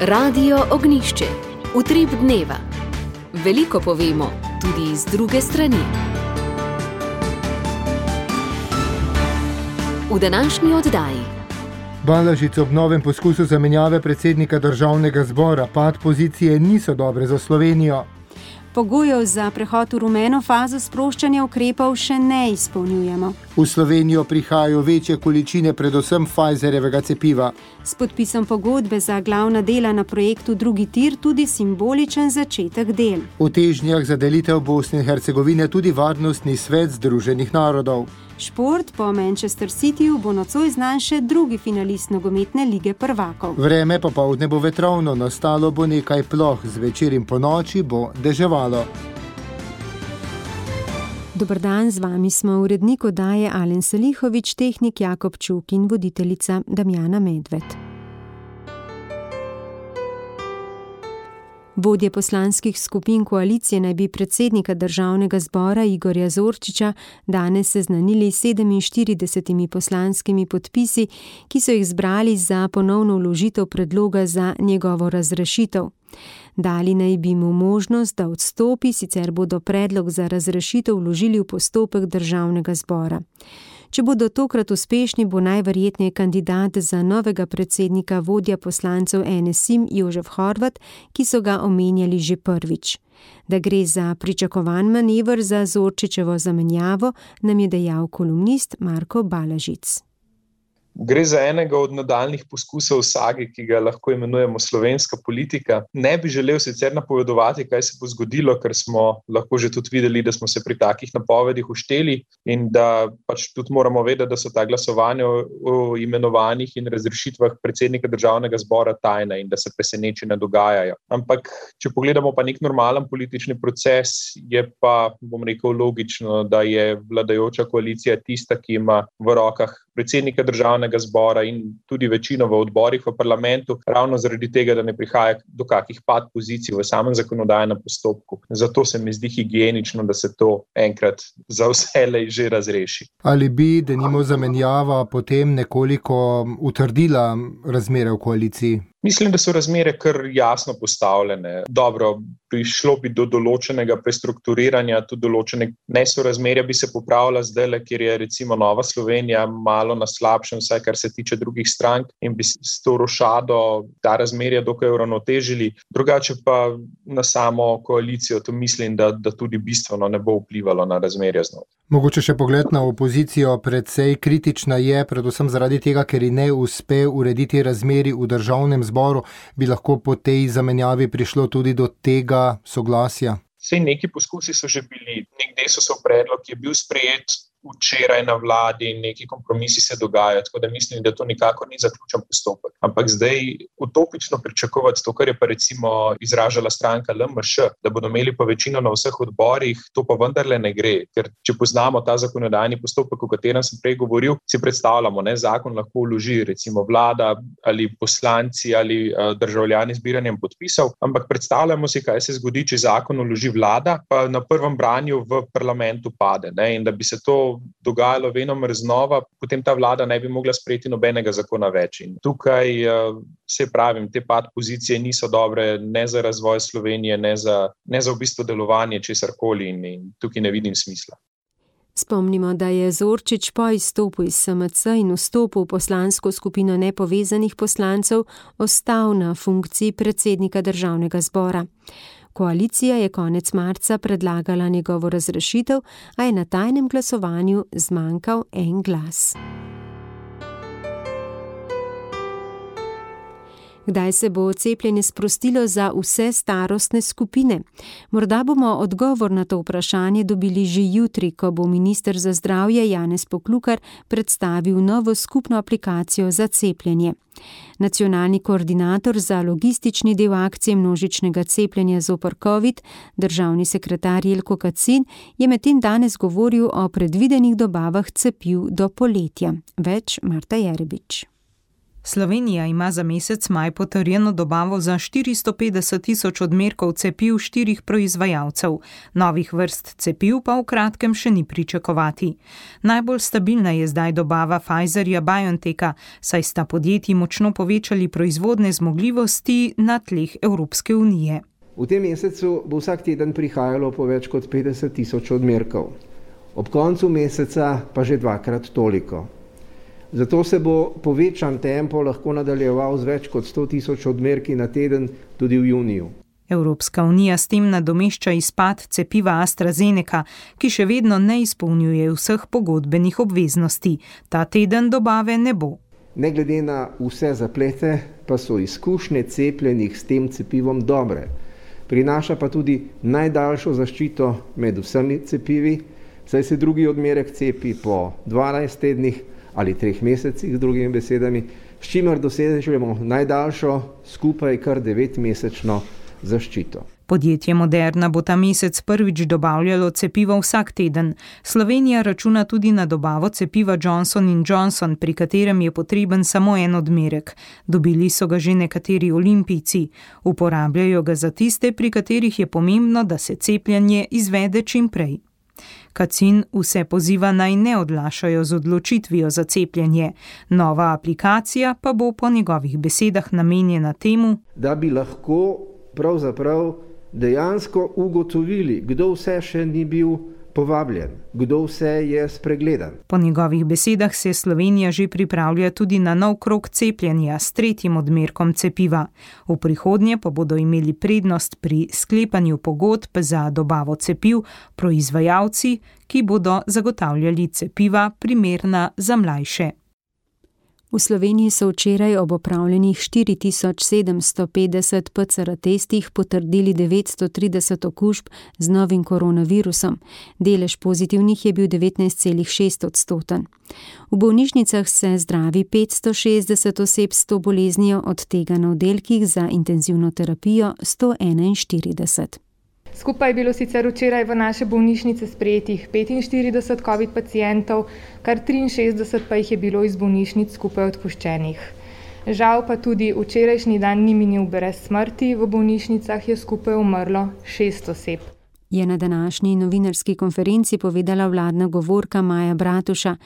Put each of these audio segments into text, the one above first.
Radio Ognjišče. Utrip dneva. Veliko povemo, tudi iz druge strani. V današnji oddaji. Balažič ob novem poskusu zamenjave predsednika državnega zbora. Pad pozicije niso dobre za Slovenijo. Pogojev za prehod v rumeno fazo sproščanja ukrepov še ne izpolnjujemo. V Slovenijo prihajajo večje količine predvsem Pfizerjevega cepiva. S podpisom pogodbe za glavna dela na projektu drugi tir tudi simboličen začetek del. V težnjah za delitev Bosne in Hercegovine tudi Varnostni svet Združenih narodov. Šport po Manchester Cityju bo nocoj znan še drugi finalist nogometne lige prvakov. Vreme popoldne bo vetrovno, nastalo bo nekaj ploh, zvečer in ponoči bo deževalo. Dober dan, z vami smo urednik oddaje Alen Selihovič, tehnik Jakob Čuk in voditeljica Damjana Medved. Vodje poslanskih skupin koalicije naj bi predsednika državnega zbora Igorja Zorčiča danes seznanili 47 poslanskimi podpisi, ki so jih zbrali za ponovno vložitev predloga za njegovo razrešitev. Dali naj bi mu možnost, da odstopi, sicer bodo predlog za razrešitev vložili v postopek državnega zbora. Če bodo tokrat uspešni, bo najverjetneje kandidat za novega predsednika vodja poslancev NSIM Jožef Horvat, ki so ga omenjali že prvič. Da gre za pričakovan manever za Zorčičevo zamenjavo, nam je dejal kolumnist Marko Balažič. Gre za enega od nadaljnih poskusov sage, ki ga lahko imenujemo slovenska politika. Ne bi želel sicer napovedovati, kaj se bo zgodilo, ker smo lahko že tudi videli, da smo se pri takih napovedih ušteli in da pač tudi moramo vedeti, da so ta glasovanja o imenovanjih in razrešitvah predsednika državnega zbora tajna in da se preseneči ne dogajajo. Ampak, če pogledamo pa nek normalen politični proces, je pa, bom rekel, logično, da je vladajoča koalicija tista, ki ima v rokah predsednika državnega zbora in tudi večino v odborih v parlamentu, ravno zaradi tega, da ne prihaja do kakih pad pozicij v samem zakonodajnem postopku. Zato se mi zdi higienično, da se to enkrat za vselej že razreši. Ali bi denimo zamenjava potem nekoliko utrdila razmere v koaliciji? Mislim, da so razmere kar jasno postavljene. Dobro, prišlo bi do določenega prestrukturiranja, tudi določene nesorazmerja bi se popravila zdajle, kjer je recimo Nova Slovenija malo na slabšem, vsaj kar se tiče drugih strank, in bi s to rošado ta razmerja dokaj uravnotežili. Drugače pa na samo koalicijo to mislim, da tudi bistveno ne bo vplivalo na razmerja znova. Mogoče še pogled na opozicijo, precej kritična je, predvsem zaradi tega, ker ji ne uspe urediti razmerij v državnem zboru, bi lahko po tej zamenjavi prišlo tudi do tega soglasja? Sej neki poskusi so že bili, nek Desusov predlog je bil sprejet včeraj na vladi in neki kompromisi se dogajajo, tako da mislim, da to nikakor ni zaključen postopek. Ampak zdaj utopično pričakovati to, kar je pa recimo izražala stranka LMŠ, da bodo imeli pa večino na vseh odborih, to pa vendarle ne gre. Ker če poznamo ta zakonodajni postopek, o katerem sem prej govoril, si predstavljamo, zakon lahko vloži recimo vlada ali poslanci ali državljani zbiranjem podpisov, ampak predstavljamo si, kaj se zgodi, če zakon vloži vlada, pa na prvem branju v parlamentu pade, in da bi se to dogajalo venomer znova, potem ta vlada ne bi mogla sprejeti nobenega zakona več. In tukaj se pravim, te pad pozicije niso dobre ne za razvoj Slovenije, ne za v bistvu delovanje česarkoli in tukaj ne vidim smisla. Spomnimo, da je Zorčič po izstopu iz SMC in vstopu v poslansko skupino nepovezanih poslancev ostal na funkciji predsednika državnega zbora. Koalicija je konec marca predlagala njegovo razrešitev, a je na tajnem glasovanju zmanjkal en glas. Kdaj se bo cepljenje sprostilo za vse starostne skupine? Morda bomo odgovor na to vprašanje dobili že jutri, ko bo minister za zdravje Janez Poklukar predstavil novo skupno aplikacijo za cepljenje. Nacionalni koordinator za logistični del akcije množičnega cepljenja zoper COVID, državni sekretar Jelko Kacin, je medtem danes govoril o predvidenih dobavah cepiv do poletja. Več Marta Jerebič. Slovenija ima za mesec maj potrjeno dobavo za 450.000 odmerkov cepiv 4 proizvajalcev. Novih vrst cepiv pa v kratkem še ni pričakovati. Najbolj stabilna je zdaj dobava Pfizerja-BioNTecha, saj sta podjetji močno povečali proizvodne zmogljivosti na tleh Evropske unije. V tem mesecu bo vsak teden prihajalo po več kot 50.000 odmerkov. Ob koncu meseca pa že 2-krat toliko. Zato se bo povečan tempo lahko nadaljeval z več kot 100.000 odmerki na teden tudi v juniju. Evropska unija s tem nadomešča izpad cepiva AstraZeneca, ki še vedno ne izpolnjuje vseh pogodbenih obveznosti. Ta teden dobave ne bo. Ne glede na vse zaplete, pa so izkušnje cepljenih s tem cepivom dobre. Prinaša pa tudi najdaljšo zaščito med vsemi cepivi, saj se drugi odmerek cepi po 12 tednih ali 3 mesecih, z drugimi besedami, s čimer dosežemo najdaljšo, skupaj kar 9-mesečno zaščito. Podjetje Moderna bo ta mesec prvič dobavljalo cepivo vsak teden. Slovenija računa tudi na dobavo cepiva Johnson & Johnson, pri katerem je potreben samo en odmerek. Dobili so ga že nekateri olimpijci. Uporabljajo ga za tiste, pri katerih je pomembno, da se cepljenje izvede čim prej. Kacin vse poziva naj ne odlašajo z odločitvijo za cepljenje. Nova aplikacija pa bo po njegovih besedah namenjena temu, da bi lahko pravzaprav dejansko ugotovili, kdo vse še ni bil povabljen, kdo vse je spregledan. Po njegovih besedah se Slovenija že pripravlja tudi na nov krog cepljenja s 3. odmerkom cepiva. V prihodnje pa bodo imeli prednost pri sklepanju pogodb za dobavo cepiv proizvajalci, ki bodo zagotavljali cepiva primerna za mlajše. V Sloveniji so včeraj ob opravljenih 4750 PCR testih potrdili 930 okužb z novim koronavirusom. Delež pozitivnih je bil 19,6%. V bolnišnicah se zdravi 560 oseb s to boleznijo, od tega na oddelkih za intenzivno terapijo 141. Skupaj je bilo sicer včeraj v naše bolnišnice sprejetih 45 COVID pacientov, kar 63 pa jih je bilo iz bolnišnic skupaj odpuščenih. Žal pa tudi včerajšnji dan ni minil brez smrti, v bolnišnicah je skupaj umrlo 6 oseb. Je na današnji novinarski konferenci povedala vladna govorka Maja Bratuša.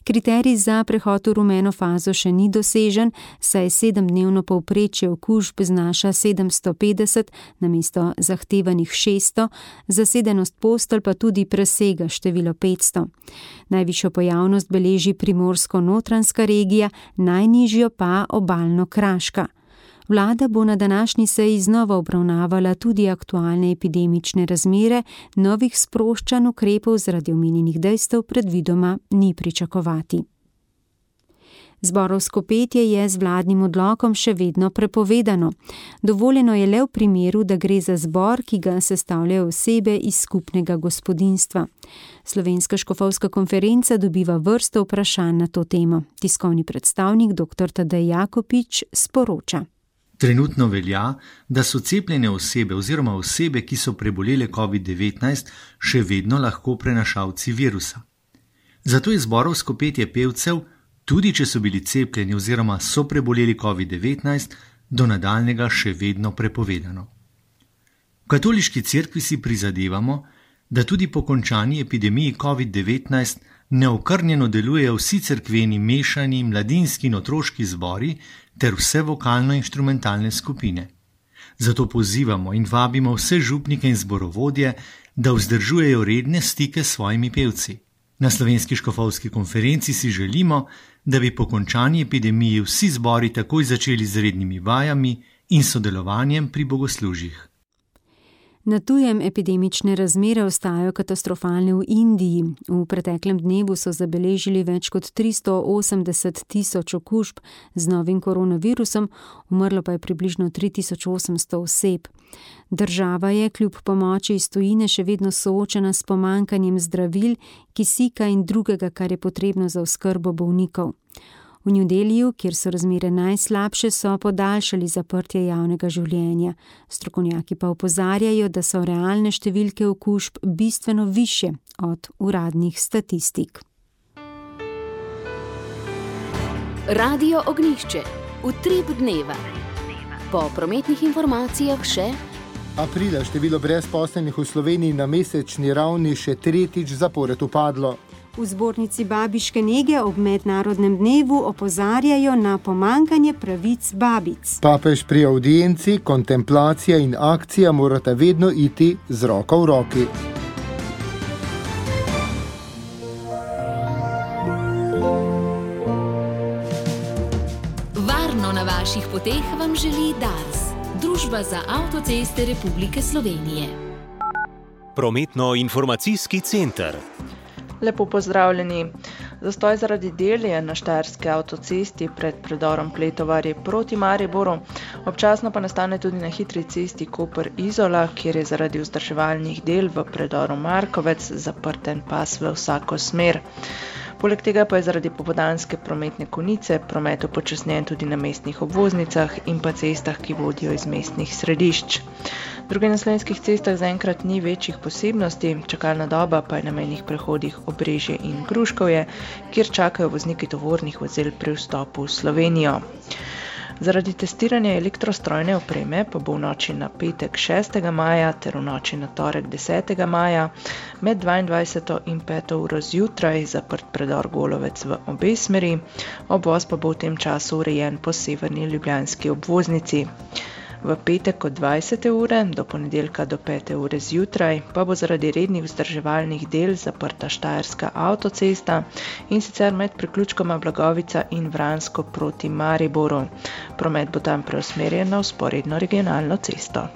Kriterij za prehod v rumeno fazo še ni dosežen, saj 7-dnevno povprečje okužb znaša 750 namesto zahtevanih 600, zasedenost postelj pa tudi presega število 500. Najvišjo pojavnost beleži Primorsko-Notranjska regija, najnižjo pa Obalno-Kraška. Vlada bo na današnji seji znova obravnavala tudi aktualne epidemične razmere, novih sproščanj ukrepov zaradi omenjenih dejstev predvidoma ni pričakovati. Zborovsko petje je z vladnim odlokom še vedno prepovedano. Dovoljeno je le v primeru, da gre za zbor, ki ga sestavljajo osebe iz skupnega gospodinjstva. Slovenska škofovska konferenca dobiva vrsto vprašanj na to temo. Tiskovni predstavnik dr. Tadej Jakopič sporoča. Trenutno velja, da so cepljene osebe oziroma osebe, ki so prebolele COVID-19, še vedno lahko prenašalci virusa. Zato je zborovsko petje pevcev, tudi če so bili cepljeni oziroma so preboleli COVID-19, do nadaljnjega še vedno prepovedano. V katoliški cerkvi si prizadevamo, da tudi po končani epidemiji COVID-19 neokrnjeno delujejo vsi cerkveni mešani mladinski in otroški zbori ter vse vokalno-inštrumentalne skupine. Zato pozivamo in vabimo vse župnike in zborovodje, da vzdržujejo redne stike s svojimi pevci. Na Slovenski škofovski konferenci si želimo, da bi po končani epidemiji vsi zbori takoj začeli z rednimi vajami in sodelovanjem pri bogoslužjih. Na tujem epidemične razmere ostajajo katastrofalne v Indiji. V preteklem dnevu so zabeležili več kot 380.000 okužb z novim koronavirusom, umrlo pa je približno 3800 oseb. Država je kljub pomoči iz tujine še vedno soočena s pomanjkanjem zdravil, kisika in drugega, kar je potrebno za oskrbo bolnikov. V New Delhiju, kjer so razmere najslabše, so podaljšali zaprtje javnega življenja. Strokovnjaki pa opozarjajo, da so realne številke okužb bistveno višje od uradnih statistik. Radio Ognjišče. Utrip dneva. Po prometnih informacijah še: aprila število brezposelnih v Sloveniji na mesečni ravni še tretjič zapored upadlo. V zbornici babiške nege ob mednarodnem dnevu opozarjajo na pomanjkanje pravic babic. Papež pri avdienci, kontemplacija in akcija morata vedno iti z roko v roki. Varno na vaših poteh vam želi Dars, Družba za avtoceste Republike Slovenije. Prometno-informacijski center. Lepo pozdravljeni. Zastoj zaradi del je na štajerski avtocesti pred predorom Pletovarje proti Mariboru, občasno pa nastane tudi na hitri cesti Koper-Izola, kjer je zaradi vzdrževalnih del v predoru Markovec zaprt en pas v vsako smer. Poleg tega pa je zaradi popoldanske prometne konice promet upočasnjen tudi na mestnih obvoznicah in pa cestah, ki vodijo iz mestnih središč. Druge na slovenskih cestah zaenkrat ni večjih posebnosti, čakalna doba pa je na mejnih prehodih Obrežje in Gruškovje, kjer čakajo vozniki tovornih vozil pri vstopu v Slovenijo. Zaradi testiranja elektrostrojne opreme pa bo v noči na petek 6. maja ter v noči na torek 10. maja med 22. in 5. uro zjutraj zaprt predor Golovec v obe smeri, obvoz pa bo v tem času urejen po severni ljubljanski obvoznici. V petek od 20. ure do ponedeljka do 5. ure zjutraj pa bo zaradi rednih vzdrževalnih del zaprta štajerska avtocesta in sicer med priključkoma Blagovica in Vransko proti Mariboru. Promet bo tam preusmerjen na vzporedno regionalno cesto.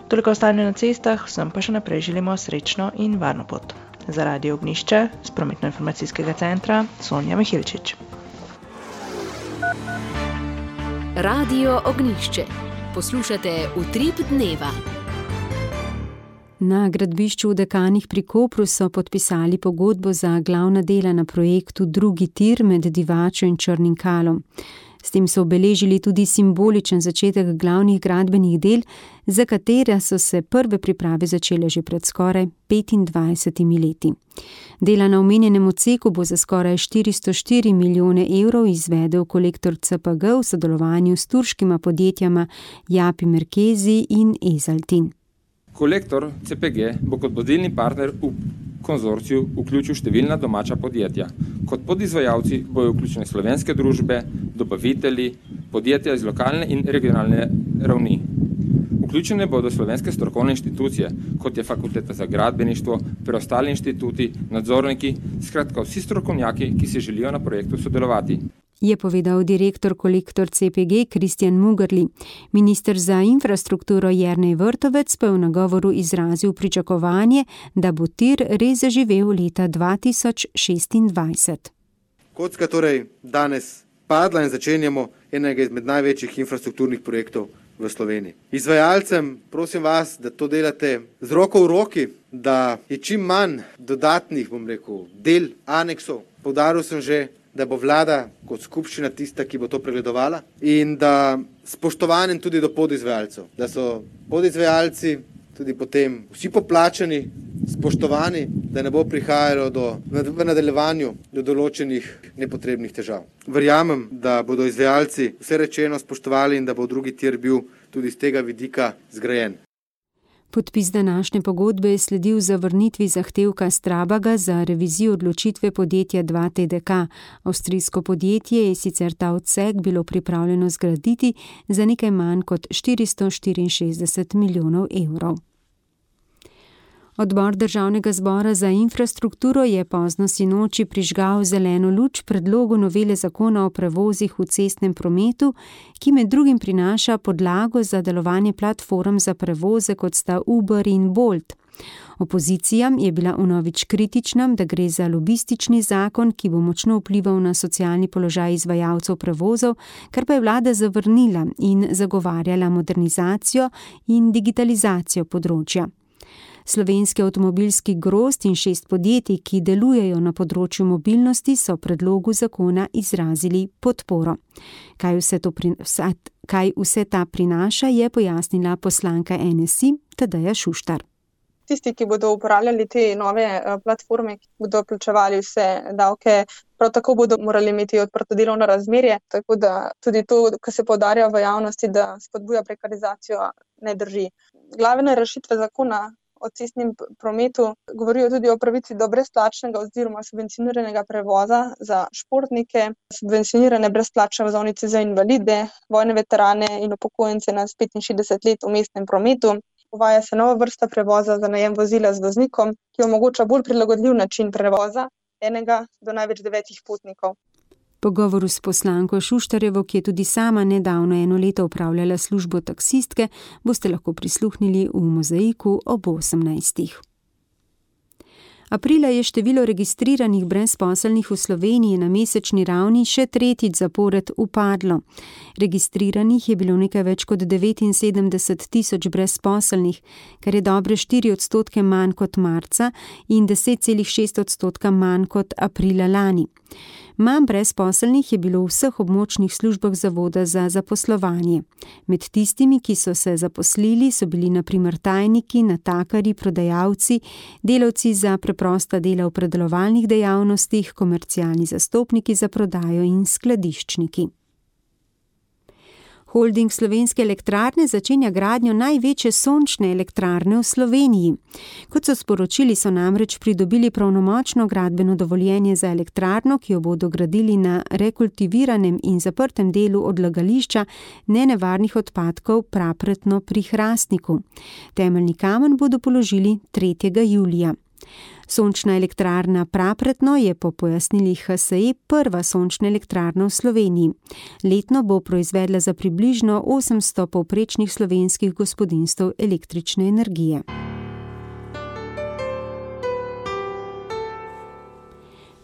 Toliko o stanju na cestah, vsem pa še naprej želimo srečno in varno pot. Za Radio Ognjišče z Prometno-informacijskega centra Sonja Mihilčič. Radio Ognjišče. Poslušate Utrip dneva. Na gradbišču v Dekanih pri Kopru so podpisali pogodbo za glavna dela na projektu Drugi tir med Divačo in Črnim Kalom. S tem so obeležili tudi simboličen začetek glavnih gradbenih del, za katera so se prve priprave začele že pred skoraj 25 leti. Dela na omenjenem odseku bo za skoraj 404 milijone evrov izvedel kolektor CPG v sodelovanju s turškima podjetjama Japi Merkezi in Ezaltin. Kolektor CPG bo kot vodilni partner v konzorciju vključil številna domača podjetja. Kot podizvajalci bojo vključene slovenske družbe, dobavitelji, podjetja iz lokalne in regionalne ravni. Vključene bodo slovenske strokovne inštitucije, kot je Fakulteta za gradbeništvo, preostali inštituti, nadzorniki, skratka vsi strokovnjaki, ki se želijo na projektu sodelovati. Je povedal direktor kolektor CPG Kristjan Mugrli. Minister za infrastrukturo Jernej Vrtovec pa je v nagovoru izrazil pričakovanje, da bo tir res zaživel leta 2026. Kocka torej danes padla in začenjamo enega izmed največjih infrastrukturnih projektov v Sloveniji. Izvajalcem prosim vas, da to delate z roko v roki, da je čim manj dodatnih, del, aneksov. Poudaril sem že, da bo vlada kot skupščina tista, ki bo to pregledovala in da spoštovanjem tudi do podizvajalcev, da so podizvajalci tudi potem vsi poplačani, spoštovani, da ne bo prihajalo v nadaljevanju do določenih nepotrebnih težav. Verjamem, da bodo izvajalci vse rečeno spoštovali in da bo drugi tir bil tudi z tega vidika zgrajen. Podpis današnje pogodbe je sledil zavrnitvi zahtevka Strabaga za revizijo odločitve podjetja 2TDK. Avstrijsko podjetje je sicer ta odsek bilo pripravljeno zgraditi za nekaj manj kot 464 milijonov evrov. Odbor Državnega zbora za infrastrukturo je pozno sinoči prižgal zeleno luč predlogu novele zakona o prevozih v cestnem prometu, ki med drugim prinaša podlago za delovanje platform za prevoze, kot sta Uber in Bolt. Opozicija je bila vnovič kritična, da gre za lobistični zakon, ki bo močno vplival na socialni položaj izvajalcev prevozov, kar pa je vlada zavrnila in zagovarjala modernizacijo in digitalizacijo področja. Slovenski avtomobilski grozd in 6 podjetij, ki delujejo na področju mobilnosti, so predlogu zakona izrazili podporo. Kaj vse ta prinaša, je pojasnila poslanka NSI Tadeja Šuštar. tisti, ki bodo uporabljali te nove platforme, ki bodo plačevali vse davke, prav tako bodo morali imeti odprto delovno razmerje, tako da tudi to, kar se poudarja v javnosti, da spodbuja prekarizacijo, ne drži. Glavne rešitve zakona o cestnem prometu govorijo tudi o pravici do brezplačnega oziroma subvencioniranega prevoza za športnike, subvencionirane brezplačne vozovnice za invalide, vojne veterane in upokojence nad 65 let v mestnem prometu. Uvaja se nova vrsta prevoza za najem vozila z voznikom, ki omogoča bolj prilagodljiv način prevoza enega do največ 9 potnikov. Pogovoru s poslanko Šuštarjevo, ki je tudi sama nedavno 1 leto opravljala službo taksistke, boste lahko prisluhnili v Mozaiku ob 18. Aprila je število registriranih brezposelnih v Sloveniji na mesečni ravni še 3. zapored upadlo. Registriranih je bilo nekaj več kot 79 tisoč brezposelnih, kar je dobre 4% manj kot marca in 10,6% manj kot aprila lani. Manj brezposelnih je bilo v vseh območnih službah Zavoda za zaposlovanje. Med tistimi, ki so se zaposlili, so bili na primer tajniki, natakarji, prodajalci, delavci za preprosta dela v predelovalnih dejavnostih, komercialni zastopniki za prodajo in skladiščniki. Holding Slovenske elektrarne začenja gradnjo največje sončne elektrarne v Sloveniji. Kot so sporočili, so namreč pridobili pravnomočno gradbeno dovoljenje za elektrarno, ki jo bodo gradili na rekultiviranem in zaprtem delu odlagališča nenevarnih odpadkov Prapretno pri Hrastniku. Temeljni kamen bodo položili 3. julija. Sončna elektrarna Prapretno je po pojasnilih HSE prva sončna elektrarna v Sloveniji. Letno bo proizvedla za približno 800 povprečnih slovenskih gospodinjstev električne energije.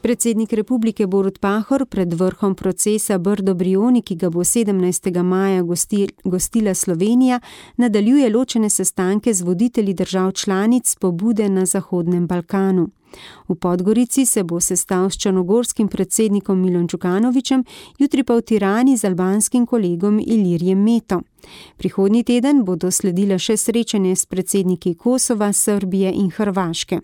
Predsednik republike Borut Pahor pred vrhom procesa Brdo-Brioni, ki ga bo 17. maja gostila Slovenija, nadaljuje ločene sestanke z voditelji držav članic pobude na Zahodnem Balkanu. V Podgorici se bo sestal s črnogorskim predsednikom Milom Đukanovićem, jutri pa v Tirani z albanskim kolegom Ilirjem Meto. Prihodnji teden bodo sledila še srečanje s predsedniki Kosova, Srbije in Hrvaške.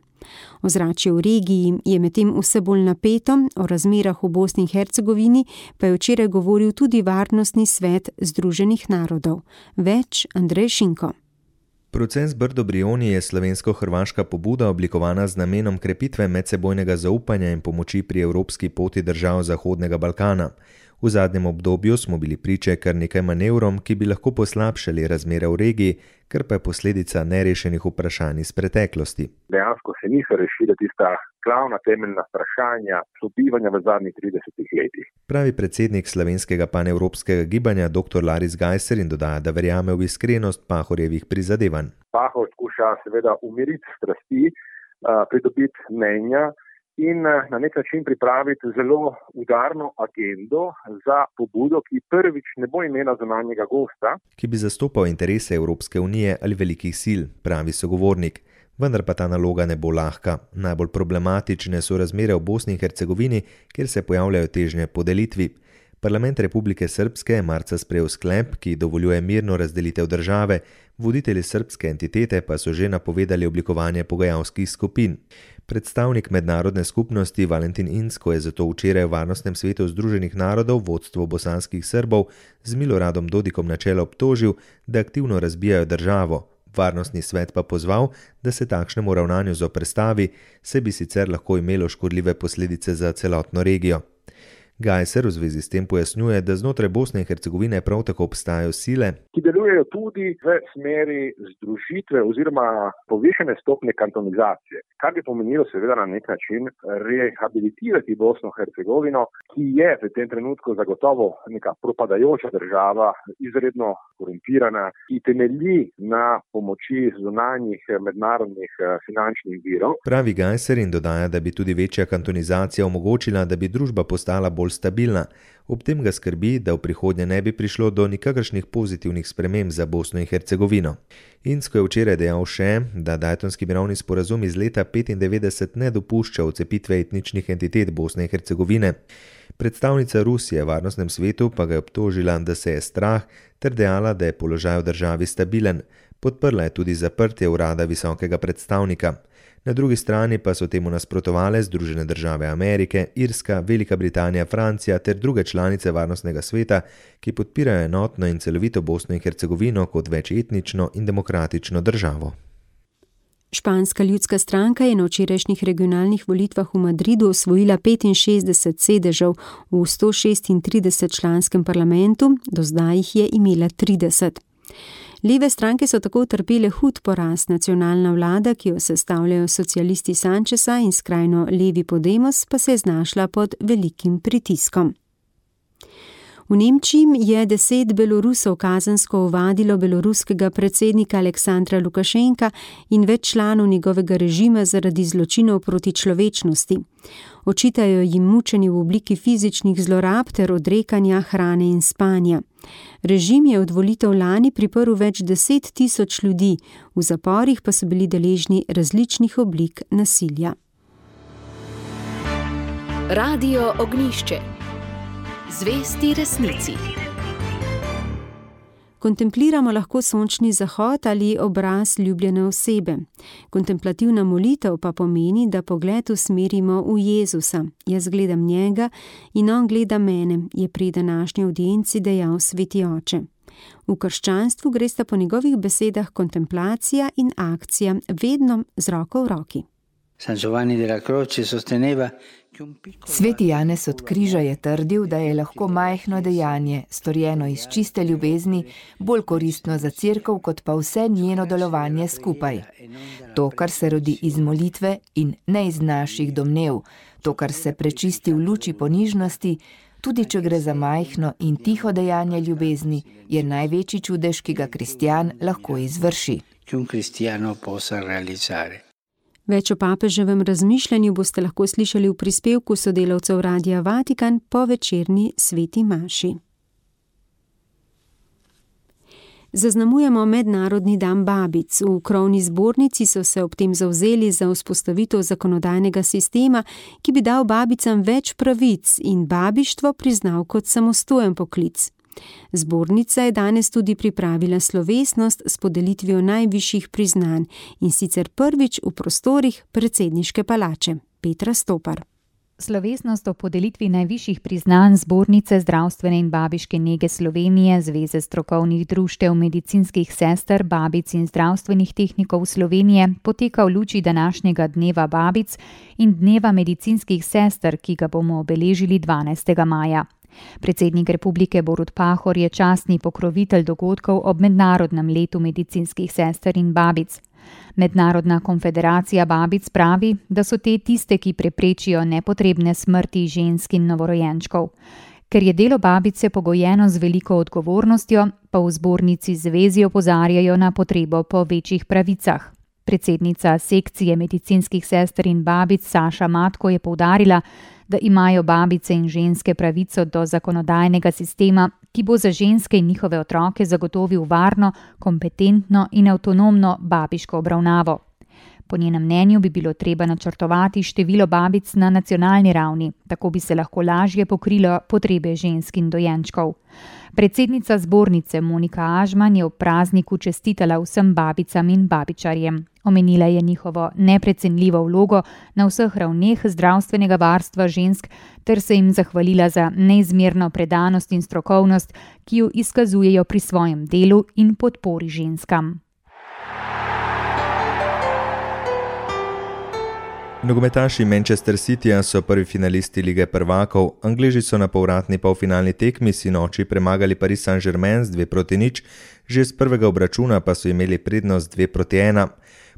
Ozračje v regiji je medtem vse bolj napeto, o razmerah v Bosni in Hercegovini pa je včeraj govoril tudi Varnostni svet Združenih narodov. Več Andrej Šinko. Proces Brdo-Brioni je slovensko-hrvaška pobuda oblikovana z namenom krepitve medsebojnega zaupanja in pomoči pri evropski poti držav Zahodnega Balkana. V zadnjem obdobju smo bili priče kar nekaj manevrom, ki bi lahko poslabšali razmere v regiji, kar pa je posledica nerešenih vprašanj iz preteklosti. Dejansko se niso rešile tista glavna temeljna vprašanja sobivanja v zadnjih 30 letih. Pravi predsednik slovenskega panevropskega gibanja dr. Laris Gajser in dodaja, da verjame v iskrenost Pahorjevih prizadevanj. Pahor skuša seveda umiriti strasti, pridobiti mnenja in na nek način pripraviti zelo udarno agendo za pobudo, ki prvič ne bo imela zunanjega gosta, ki bi zastopal interese Evropske unije ali velikih sil, pravi sogovornik. Vendar pa ta naloga ne bo lahka. Najbolj problematične so razmere v Bosni in Hercegovini, kjer se pojavljajo težnje po delitvi. Parlament Republike Srpske je marca sprejel sklep, ki dovoljuje mirno razdelitev države, voditelji srpske entitete pa so že napovedali oblikovanje pogajalskih skupin. Predstavnik mednarodne skupnosti Valentin Inzko je zato včeraj v Varnostnem svetu Združenih narodov vodstvo bosanskih Srbov z Miloradom Dodikom na čelo obtožil, da aktivno razbijajo državo. Varnostni svet pa pozval, da se takšnemu ravnanju zoperstavi, saj bi sicer lahko imelo škodljive posledice za celotno regijo. Gajser v zvezi s tem pojasnjuje, da znotraj Bosne in Hercegovine prav tako obstajajo sile, ki delujejo tudi v smeri združitve oziroma povišene stopnje kantonizacije, kar bi pomenilo seveda na nek način rehabilitirati Bosno in Hercegovino, ki je v tem trenutku zagotovo neka propadajoča država, izredno korumpirana, ki temelji na pomoči zunanjih mednarodnih finančnih virov. Pravi Gajser in dodaja, da bi tudi večja kantonizacija omogočila, da bi družba postala bolj stabilna. Ob tem ga skrbi, da v prihodnje ne bi prišlo do nikakršnih pozitivnih sprememb za Bosno in Hercegovino. Inzko je včeraj dejal še, da Daytonski mirovni sporazum iz leta 1995 ne dopušča odcepitve etničnih entitet Bosne in Hercegovine. Predstavnica Rusije v Varnostnem svetu pa ga je obtožila, da se je strah, ter dejala, da je položaj v državi stabilen. Podprla je tudi zaprtje urada visokega predstavnika. Na drugi strani pa so temu nasprotovale Združene države Amerike, Irska, Velika Britanija, Francija ter druge članice Varnostnega sveta, ki podpirajo enotno in celovito Bosno in Hercegovino kot večetnično in demokratično državo. Španska ljudska stranka je na včerajšnjih regionalnih volitvah v Madridu osvojila 65 sedežev v 136-članskem parlamentu, do zdaj jih je imela 30. Leve stranke so tako utrpele hud poraz. Nacionalna vlada, ki jo sestavljajo socialisti Sancheza in skrajno levi Podemos, pa se je znašla pod velikim pritiskom. V Nemčiji je 10 Belorusov kazensko ovadilo beloruskega predsednika Aleksandra Lukašenka in več članov njegovega režima zaradi zločinov proti človečnosti. Očitajo jim mučenje v obliki fizičnih zlorab ter odrekanja hrane in spanja. Režim je od volitev lani priprl več 10 000 ljudi, v zaporih pa so bili deležni različnih oblik nasilja. Radio Ognjišče. Zvesti resnici. Kontempliramo lahko sončni zahod ali obraz ljubljene osebe. Kontemplativna molitev pa pomeni, da pogled usmerimo v Jezusa. Jaz gledam njega in on gleda mene, je pri današnji audienci dejal sveti oče. V krščanstvu gresta po njegovih besedah kontemplacija in akcija vedno z roko v roki. Sveti Janez od križa je trdil, da je lahko majhno dejanje, storjeno iz čiste ljubezni, bolj koristno za cerkev, kot pa vse njeno delovanje skupaj. To, kar se rodi iz molitve in ne iz naših domnev, to, kar se prečisti v luči ponižnosti, tudi če gre za majhno in tiho dejanje ljubezni, je največji čudež, ki ga kristjan lahko izvrši. Več o papeževem razmišljanju boste lahko slišali v prispevku sodelavcev Radia Vatikan po večerni sveti maši. Zaznamujemo Mednarodni dan babic. V krovni zbornici so se ob tem zavzeli za vzpostavitev zakonodajnega sistema, ki bi dal babicam več pravic in babištvo priznal kot samostojen poklic. Zbornica je danes tudi pripravila slovesnost s podelitvijo najvišjih priznanj in sicer prvič v prostorih predsedniške palače. Petra Stopar. Slovesnost o podelitvi najvišjih priznanj Zbornice zdravstvene in babiške nege Slovenije, Zveze strokovnih društev medicinskih sester, babic in zdravstvenih tehnikov Slovenije poteka v luči današnjega dneva babic in dneva medicinskih sester, ki ga bomo obeležili 12. maja. Predsednik republike Borut Pahor je častni pokrovitelj dogodkov ob Mednarodnem letu medicinskih sester in babic. Mednarodna konfederacija babic pravi, da so te tiste, ki preprečijo nepotrebne smrti žensk in novorojenčkov. Ker je delo babice pogojeno z veliko odgovornostjo, pa v zbornici zvezi opozarjajo na potrebo po večjih pravicah. Predsednica sekcije medicinskih sester in babic Saša Matko je poudarila, da imajo babice in ženske pravico do zakonodajnega sistema, ki bo za ženske in njihove otroke zagotovil varno, kompetentno in avtonomno babiško obravnavo. Po njenem mnenju bi bilo treba načrtovati število babic na nacionalni ravni, tako bi se lahko lažje pokrilo potrebe žensk in dojenčkov. Predsednica zbornice Monika Ažman je ob prazniku čestitala vsem babicam in babičarjem. Omenila je njihovo neprecenljivo vlogo na vseh ravneh zdravstvenega varstva žensk ter se jim zahvalila za neizmerno predanost in strokovnost, ki jo izkazujejo pri svojem delu in podpori ženskam. Nogometaši Manchester Cityja so prvi finalisti Lige prvakov. Angleži so na povratni polfinalni tekmi sinoči premagali Paris Saint-Germain z 2-0, že z prvega obračuna pa so imeli prednost 2-1.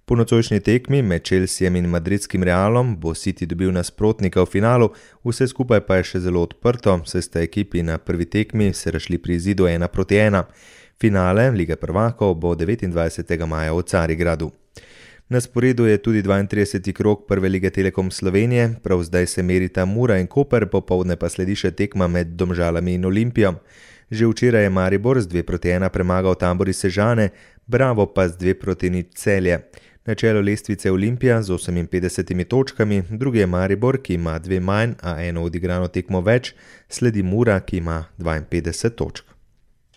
Po nocojšnji tekmi med Chelseajem in madridskim Realom bo City dobil nasprotnika v finalu, vse skupaj pa je še zelo odprto, saj sta ekipi na prvi tekmi se razšli pri izidu 1-1. Finale Lige prvakov bo 29. maja v Carigradu. Na sporedu je tudi 32. krog Prve lige Telekom Slovenije, prav zdaj se merita Mura in Koper, popoldne pa sledi še tekma med Domžalami in Olimpijo. Že včeraj je Maribor z 2-1 premagal Tambor iz Sežane, Bravo pa z 2-0 Celje. Na čelu lestvice Olimpija z 58 točkami, drugi je Maribor, ki ima 2 manj, a eno odigrano tekmo več, sledi Mura, ki ima 52 točk.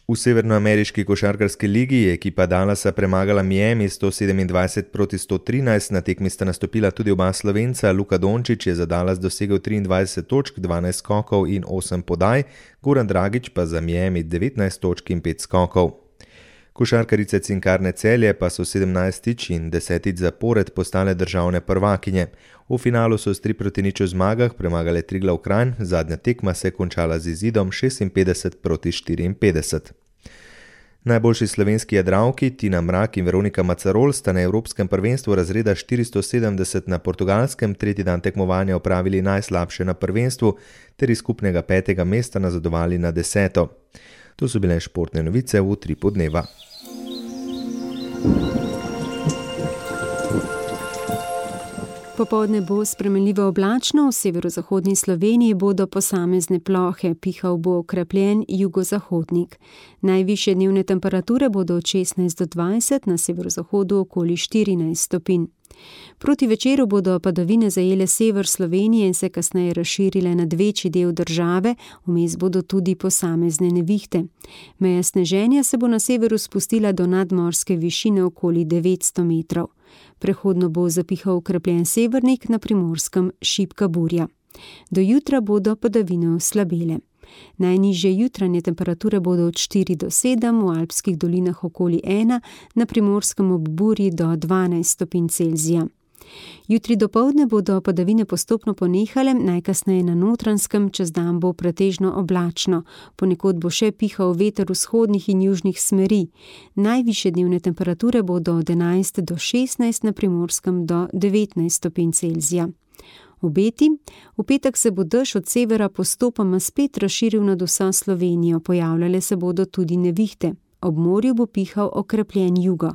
V severnoameriški košarkarski ligi je ekipa Dallasa premagala Miami 127-113, na tekmi sta nastopila tudi oba Slovenca. Luka Dončić je za Dallas dosegel 23 točk, 12 skokov in 8 podaj, Goran Dragić pa za Miami 19 točk in 5 skokov. Košarkarice Cinkarne Celje pa so 17. in 10. zapored postale državne prvakinje. V finalu so s 3-0 zmagah premagale Triglav Kranj, zadnja tekma se je končala z izidom 56-54. Najboljši slovenski jadralki Tina Mrak in Veronika Macarol sta na Evropskem prvenstvu razreda 470 na Portugalskem tretji dan tekmovanja opravili najslabše na prvenstvu ter iz skupnega 5. mesta nazadovali na 10. To so bile športne novice v Utripu dneva. Popoldne bo spremenljivo oblačno, v severozahodni Sloveniji bodo posamezne plohe, pihal bo okrepljen jugozahodnik. Najvišje dnevne temperature bodo od 16 do 20, na severozahodu okoli 14 stopinj. Proti večeru bodo padavine zajele sever Slovenije in se kasneje razširile nad večji del države, vmes bodo tudi posamezne nevihte. Meja sneženja se bo na severu spustila do nadmorske višine okoli 900 metrov. Prehodno bo zapihal okrepljen severnik, na Primorskem šibka burja. Do jutra bodo padavine oslabele. Najnižje jutranje temperature bodo od 4 do 7, v alpskih dolinah okoli 1, na Primorskem ob burji do 12 stopinj Celzija. Jutri dopoldne bodo padavine postopno ponehale, najkasneje na Notranjskem, čez dan bo pretežno oblačno, ponekod bo še pihal veter vzhodnih in južnih smeri. Najvišje dnevne temperature bodo od 11 do 16, na Primorskem do 19 stopinj Celzija. Obeti: v petek se bo dež od severa postopoma spet razširil nad vso Slovenijo, pojavljale se bodo tudi nevihte. Ob morju bo pihal okrepljen jugo.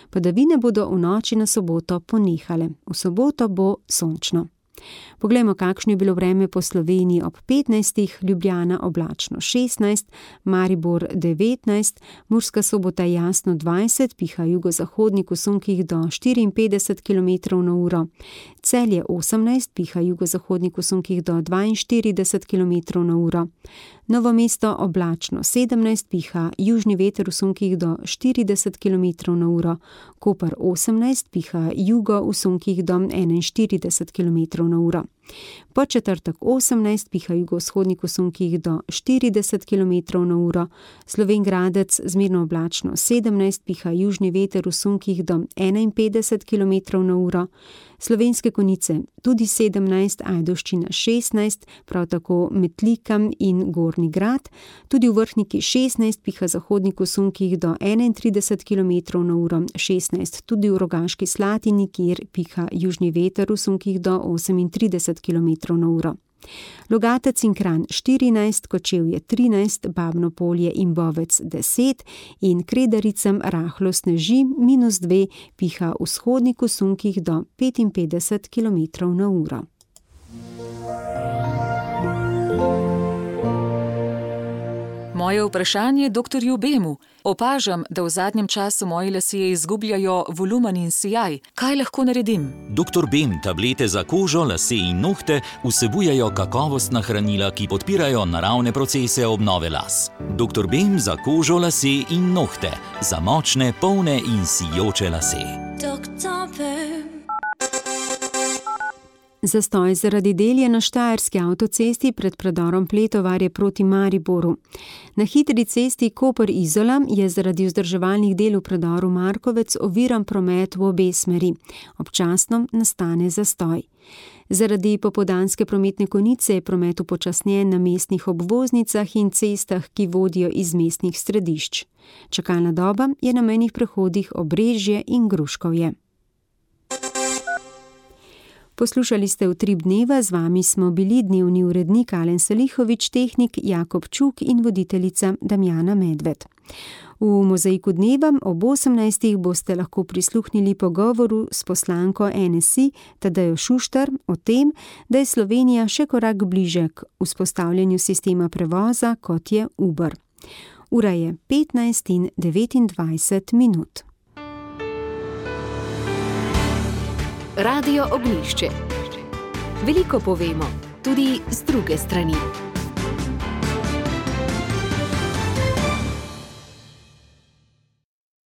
Padavine bodo v noči na soboto ponehale. V soboto bo sončno. Poglejmo, kakšno je bilo vreme po Sloveniji ob 15. Ljubljana oblačno 16, Maribor 19, Murska Sobota jasno 20, piha jugozahodnik v sunkih do 54 km/h, Celje 18, piha jugozahodnik v sunkih do 42 km/h, Novo Mesto oblačno 17, piha južni veter v sunkih do 40 km/h, Koper 18, piha jugo v sunkih do 41 km/h. Podčetrtek 18, piha jugovzhodnik v sunkih do 40 km/h, Slovenj Gradec zmerno oblačno 17, piha južni veter v sunkih do 51 km/h, Slovenske Konjice tudi 17, Ajdovščina 16, prav tako Metlika in Gornji Grad, tudi v Vrhniki 16, piha zahodnik v sunkih do 31 km/h, 16 tudi v Rogaški Slatini, kjer piha južni veter v sunkih do 38 km/h. Logatec in Kranj 14, Kočevje 13, Babno Polje in Bovec 10 in Kredaricam rahlo sneži -2, piha vzhodnik v sunkih do 55 km/h. Moje vprašanje doktorju Bemu. Opažam, da v zadnjem času moji lasje izgubljajo volumen in sijaj. Kaj lahko naredim? Doktor Bem tablete za kožo, lase in nohte vsebujejo kakovostna hranila, ki podpirajo naravne procese obnove las. Doktor Bem za kožo, lase in nohte. Za močne, polne in sijoče lase. Doktor Bem. Zastoj zaradi del je na štajerski avtocesti pred predorom Pletovarje proti Mariboru. Na hitri cesti Koper-Izola je zaradi vzdrževalnih del v predoru Markovec oviran promet v obe smeri. Občasno nastane zastoj. Zaradi popoldanske prometne konice je promet upočasnjen na mestnih obvoznicah in cestah, ki vodijo iz mestnih središč. Čakalna doba je na mejnih prehodih Obrežje in Gruškovje. Poslušali ste Utrip dneva, z vami smo bili dnevni urednik Alen Salihovič, tehnik Jakob Čuk in voditeljica Damjana Medved. V Mozaiku dneva ob 18. boste lahko prisluhnili pogovoru s poslanko NSI Tadejo Šuštar o tem, da je Slovenija še korak bliže k vzpostavljanju sistema prevoza, kot je Uber. Ura je 15:29 minut. Radio Ognjišče. Veliko povemo, tudi z druge strani.